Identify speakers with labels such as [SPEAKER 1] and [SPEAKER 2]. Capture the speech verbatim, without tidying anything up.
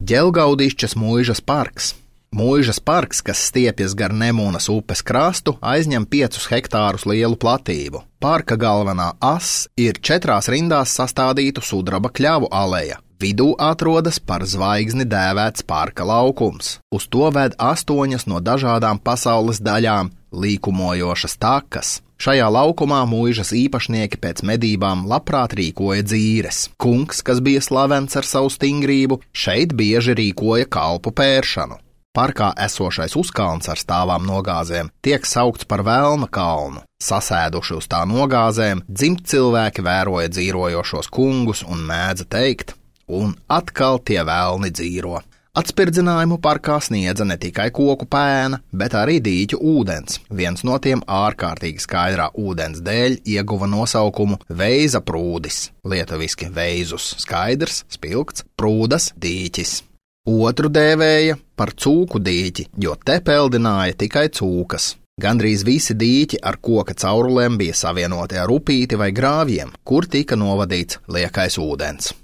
[SPEAKER 1] Ģelgaudišķas mūižas parks. Mūižas parks, kas stiepjas gar Nemunas upes krastu, aizņem piecus hektārus lielu platību. Parka galvenā ass ir četrās rindās sastādītu sudraba kļavu aleja. Vidū atrodas par zvaigzni dēvēts parka laukums. Uz to ved astoņas no dažādām pasaules daļām līkumojošas takas. Šajā laukumā mūižas īpašnieki pēc medībām labprāt rīkoja dzīres. Kungs, kas bija slavens ar savu stingrību, šeit bieži rīkoja kalpu pēršanu. Parkā esošais uzkalns ar stāvām nogāzēm tiek saukts par Velna kalnu. Sasēduši uz tā nogāzēm, dzimt cilvēki vēroja dzīrojošos kungus un mēdza teikt, un atkal tie velni dzīro. Atspirdzinājumu parkā sniedza ne tikai koku pēna, bet arī dīķu ūdens. Viens no tiem ārkārtīgi skaidrā ūdens dēļ ieguva nosaukumu Veiza prūdis, lietuviski veizus skaidrs, spilgts, prūdas dīķis. Otru dēvēja par cūku dīķi, jo te peldināja tikai cūkas. Gandrīz visi dīķi ar koka caurulēm bija savienoti ar upīti vai grāvjiem, kur tika novadīts liekais ūdens.